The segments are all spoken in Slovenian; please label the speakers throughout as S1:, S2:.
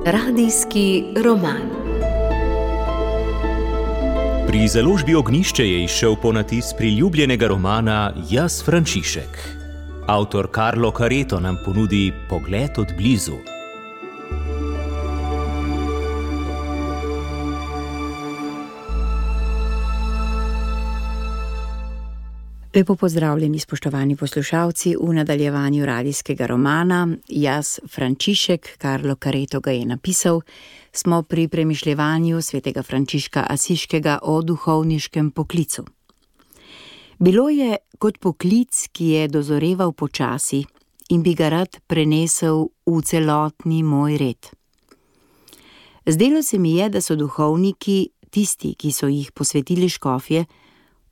S1: Radijski roman.
S2: Pri založbi Ognjišče je izšel ponatis priljubljenega romana Jaz, Frančišek. Avtor Carlo Careto nam ponudi pogled od blizu.
S3: Lepo pozdravljeni, spoštovani poslušalci, v nadaljevanju radijskega romana Jaz, Frančišek, Carlo Careto ga je napisal. Smo pri premišljevanju svetega Frančiška Asiškega o duhovniškem poklicu. Bilo je kot poklic, ki je dozoreval počasi in bi ga rad prenesel v celotni moj red. Zdelo se mi je, da so duhovniki, tisti, ki so jih posvetili škofje,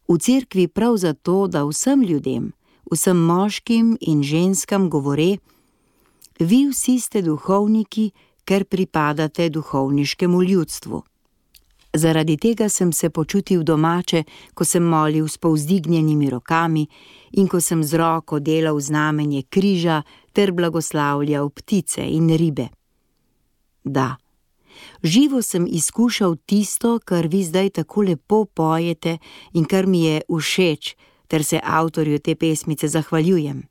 S3: v cerkvi prav zato, da vsem ljudem, vsem moškim in ženskam govore: vi vsi ste duhovniki, ker pripadate duhovniškemu ljudstvu. Zaradi tega sem se počutil domače, ko sem molil s povzdignjenimi rokami in ko sem z roko delal znamenje križa ter blagoslavljal ptice in ribe. Da, živo sem izkušal tisto, kar vi zdaj tako lepo pojete in kar mi je všeč, ter se avtorju te pesmice zahvaljujem.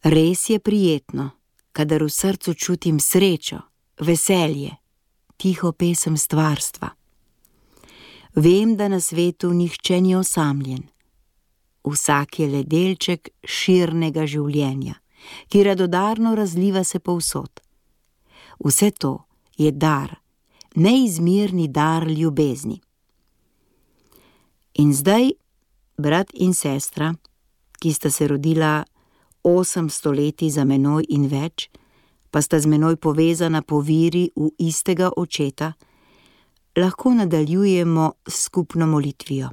S3: Res je prijetno, kadar v srcu čutim srečo, veselje, tiho pesem stvarstva. Vem, da na svetu nihče ni osamljen. Vsak je le delček širnega življenja, ki radodarno razliva se povsod. Vse to je dar, neizmerni dar ljubezni. In zdaj, brat in sestra, ki sta se rodila 800 leti za menoj in več, pa sta z menoj povezana po viri v istega očeta, lahko nadaljujemo s skupno molitvijo.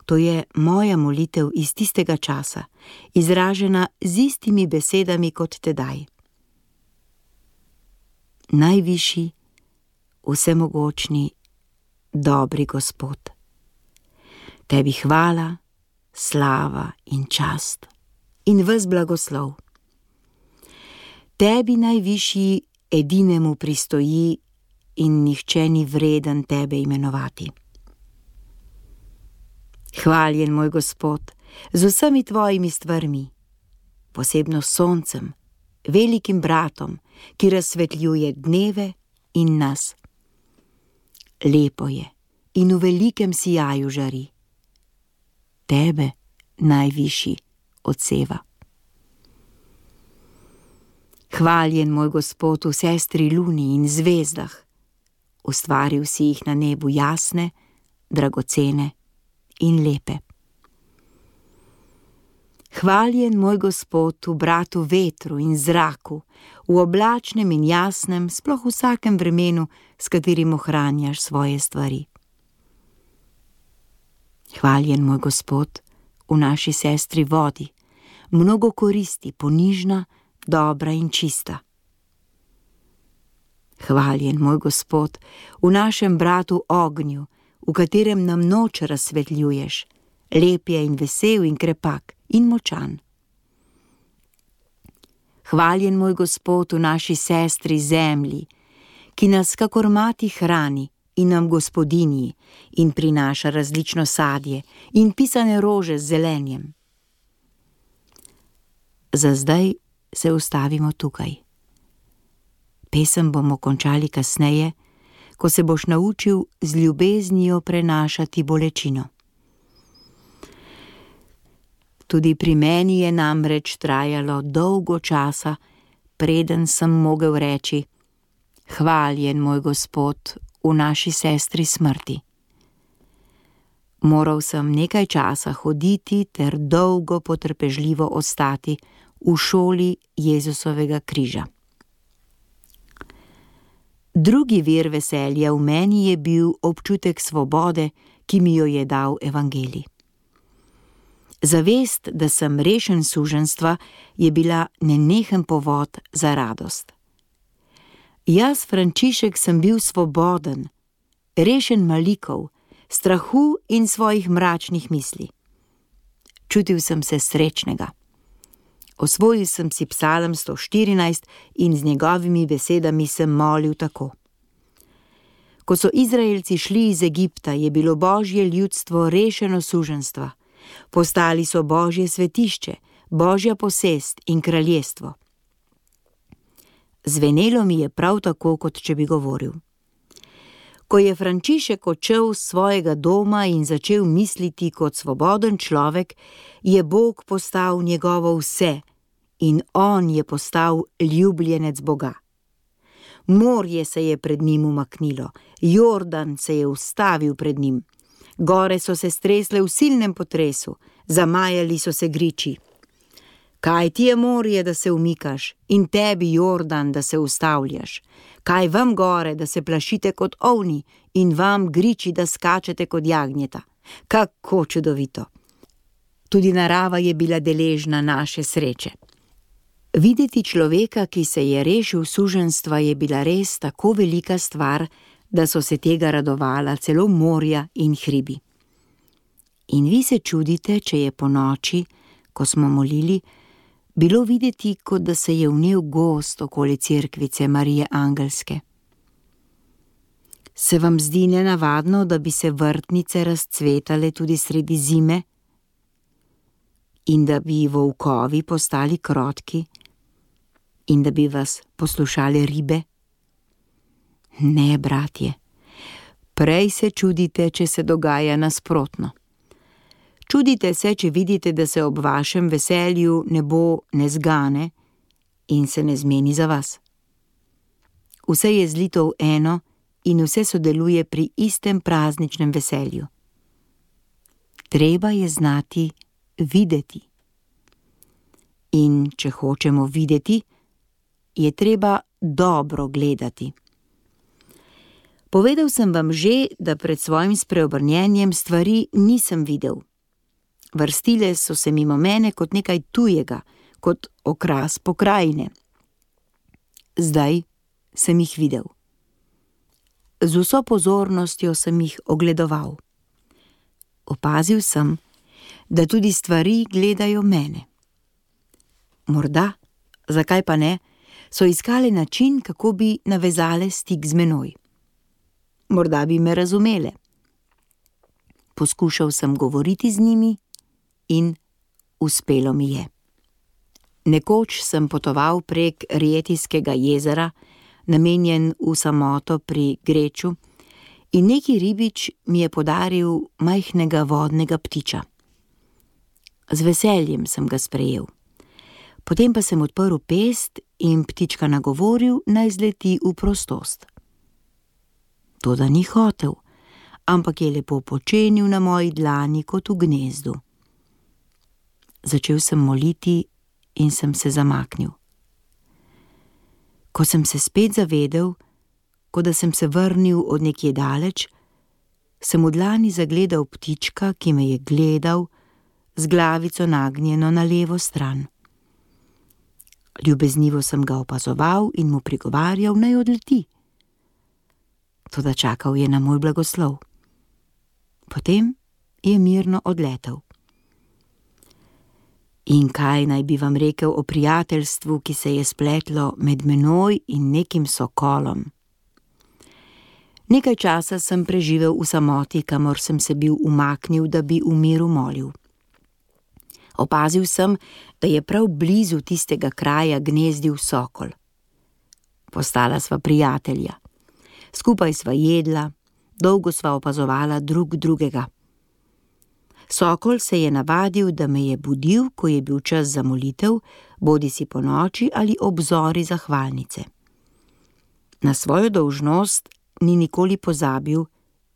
S3: To je moja molitev iz tistega časa, izražena z istimi besedami kot tedaj. Najvišji, vsemogočni, dobri Gospod. Tebi hvala, slava in čast in ves blagoslov. Tebi najvišji edinemu pristoji in nihče ni vreden tebe imenovati. Hvaljen moj Gospod z vsemi tvojimi stvarmi, posebno s soncem, velikim bratom, ki razsvetljuje dneve in nas. Lepo je in v velikem sijaju žari. Tebe najvišji odseva. Hvaljen moj Gospod v sestri luni in zvezdah, ustvaril si jih na nebu jasne, dragocene in lepe. Hvaljen moj Gospod v bratu vetru in zraku, v oblačnem in jasnem, sploh v vsakem vremenu, s katerim ohranjaš svoje stvari. Hvaljen moj Gospod v naši sestri vodi, mnogo koristi, ponižna, dobra in čista. Hvaljen moj Gospod v našem bratu ognju, v katerem nam noč razsvetljuješ, lep je in vesel in krepak in močan. Hvaljen moj Gospod v naši sestri zemlji, ki nas kakor mati hrani in nam gospodinji in prinaša različno sadje in pisane rože z zelenjem. Za zdaj se ustavimo tukaj. Pesem bomo končali kasneje, ko se boš naučil z ljubeznijo prenašati bolečino. Tudi pri meni je namreč trajalo dolgo časa, preden sem mogel reči: hvaljen moj Gospod v naši sestri smrti. Moral sem nekaj časa hoditi ter dolgo potrpežljivo ostati v šoli Jezusovega križa. Drugi vir veselja v meni je bil občutek svobode, ki mi jo je dal evangelij. Zavest, da sem rešen suženjstva, je bila nenehen povod za radost. Jaz, Frančišek, sem bil svoboden, rešen malikov, strahu in svojih mračnih misli. Čutil sem se srečnega. Osvojil sem si Psalm 114 in z njegovimi besedami sem molil tako. Ko so Izraelci šli iz Egipta, je bilo Božje ljudstvo rešeno suženjstva. Postali so Božje svetišče, Božja posest in kraljestvo. Zvenelo mi je prav tako, kot če bi govoril. Ko je Frančišek odšel z svojega doma in začel misliti kot svoboden človek, je Bog postal njegovo vse in on je postal ljubljenec Boga. Morje se je pred njim umaknilo, Jordan se je ustavil pred njim. Gore so se stresle v silnem potresu, zamajali so se griči. Kaj ti je morje, da se umikaš, in tebi, Jordan, da se ustavljaš? Kaj vam gore, da se plašite kot ovni, in vam griči, da skačete kot jagnjeta? Kako čudovito! Tudi narava je bila deležna naše sreče. Videti človeka, ki se je rešil suženjstva, je bila res tako velika stvar, da so se tega radovala celo morja in hribi. In vi se čudite, če je po noči, ko smo molili, bilo videti, kot da se je vnel gozd okoli cerkvice Marije Angelske. Se vam zdi nenavadno, da bi se vrtnice razcvetale tudi sredi zime in da bi volkovi postali krotki in da bi vas poslušale ribe? Ne, bratje, prej se čudite, če se dogaja nasprotno. Čudite se, če vidite, da se ob vašem veselju nebo ne zgane in se ne zmeni za vas. Vse je zlito v eno in vse sodeluje pri istem prazničnem veselju. Treba je znati videti. In če hočemo videti, je treba dobro gledati. Povedal sem vam že, da pred svojim spreobrnjenjem stvari nisem videl. Vrstile so se mimo mene kot nekaj tujega, kot okras pokrajine. Zdaj sem jih videl. Z vso pozornostjo sem jih ogledoval. Opazil sem, da tudi stvari gledajo mene. Morda, zakaj pa ne, so iskale način, kako bi navezale stik z menoj. Morda bi me razumele. Poskušal sem govoriti z njimi in uspelo mi je. Nekoč sem potoval prek Rietijskega jezera, namenjen v samoto pri Greču, in neki ribič mi je podaril majhnega vodnega ptiča. Z veseljem sem ga sprejel. Potem pa sem odprl pest in ptička nagovoril, naj zleti v prostost. Toda ni hotel, ampak je lepo počenil na moji dlani kot v gnezdu. Začel sem moliti in sem se zamaknil. Ko sem se spet zavedel, kot da sem se vrnil od nekje daleč, sem v dlani zagledal ptička, ki me je gledal, z glavico nagnjeno na levo stran. Ljubeznivo sem ga opazoval in mu prigovarjal, naj odleti. Toda čakal je na moj blagoslov. Potem je mirno odletel. In kaj naj bi vam rekel o prijateljstvu, ki se je spletlo med menoj in nekim sokolom? Nekaj časa sem preživel v samoti, kamor sem se bil umaknil, da bi v miru molil. Opazil sem, da je prav blizu tistega kraja gnezdil sokol. Postala sva prijatelja. Skupaj sva jedla, dolgo sva opazovala drug drugega. Sokol se je navadil, da me je budil, ko je bil čas za molitev, bodisi po noči ali ob zori zahvalnice. Na svojo dolžnost ni nikoli pozabil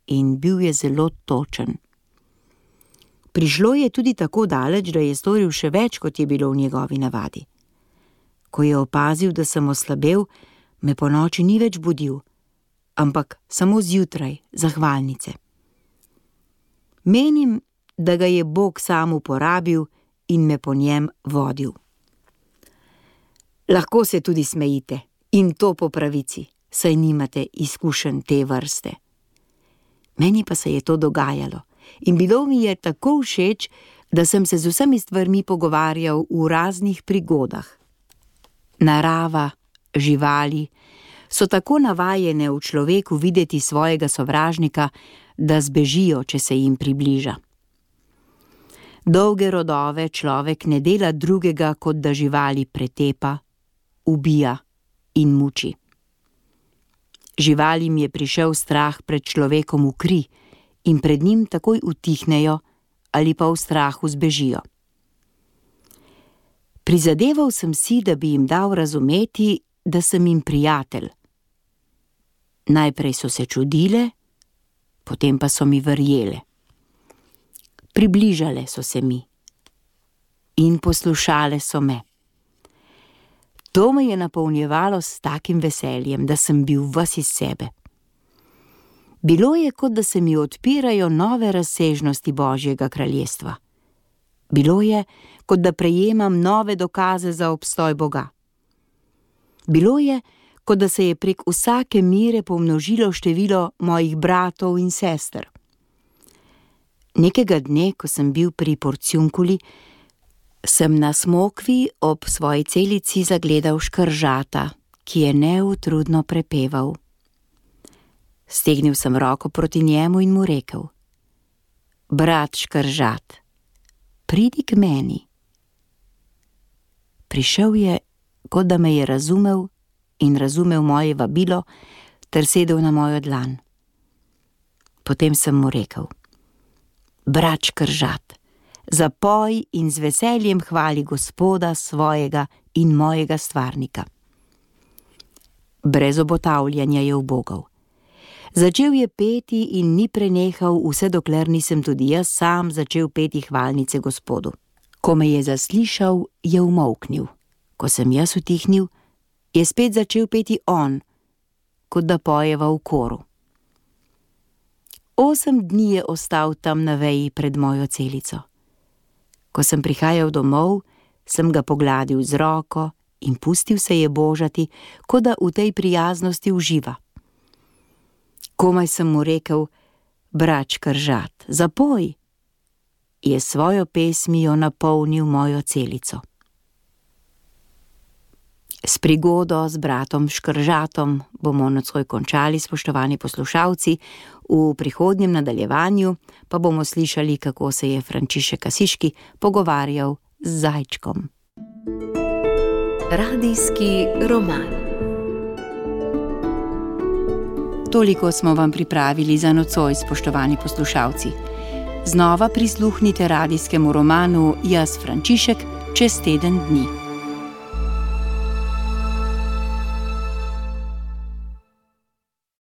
S3: in bil je zelo točen. Prišlo je tudi tako daleč, da je storil še več, kot je bilo v njegovi navadi. Ko je opazil, da sem oslabel, me po noči ni več budil, ampak samo zjutraj, zahvalnice. Menim, da ga je Bog sam uporabil in me po njem vodil. Lahko se tudi smejite, in to po pravici, saj nimate izkušenj te vrste. Meni pa se je to dogajalo in bilo mi je tako všeč, da sem se z vsemi stvarmi pogovarjal v raznih prigodah. Narava, živali so tako navajene v človeku videti svojega sovražnika, da zbežijo, če se jim približa. Dolge rodove človek ne dela drugega, kot da živali pretepa, ubija in muči. Živalim je prišel strah pred človekom v kri in pred njim takoj utihnejo ali pa v strahu zbežijo. Prizadeval sem si, da bi jim dal razumeti, da sem jim prijatelj. Najprej so se čudile, potem pa so mi verjele. Približale so se mi in poslušale so me. To me je napolnjevalo s takim veseljem, da sem bil ves iz sebe. Bilo je, kot da se mi odpirajo nove razsežnosti Božjega kraljestva. Bilo je, kot da prejemam nove dokaze za obstoj Boga. Bilo je, kot da se je prek vsake mere pomnožilo število mojih bratov in sester. Nekega dne, ko sem bil pri Porciunkuli, sem na smokvi ob svoji celici zagledal škržata, ki je neutrudno prepeval. Stegnil sem roko proti njemu in mu rekel: Brat škržat, pridi k meni. Prišel je, kot da me je razumel in razumel moje vabilo, ter sedel na mojo dlan. Potem sem mu rekel: Brat škržat, zapoj in z veseljem hvali Gospoda svojega in mojega stvarnika. Brez obotavljanja je ubogal. Začel je peti in ni prenehal, vse dokler nisem tudi jaz sam začel peti hvalnice Gospodu. Ko me je zaslišal, je umolknil. Ko sem jaz utihnil, je spet začel peti on, kot da pojeva v koru. 8 dni je ostal tam na veji pred mojo celico. Ko sem prihajal domov, sem ga pogladil z roko in pustil se je božati, kot da v tej prijaznosti uživa. Komaj sem mu rekel: Brat škržat, zapoj, je svojo pesmijo napolnil mojo celico. S prigodo z bratom škržatom bomo nocoj končali, spoštovani poslušalci. V prihodnjem nadaljevanju pa bomo slišali, kako se je Frančišek Asiški pogovarjal z zajčkom.
S1: Radijski roman.
S3: Toliko smo vam pripravili za nocoj, spoštovani poslušalci. Znova prisluhnite radijskemu romanu Jaz Frančišek čez teden dni.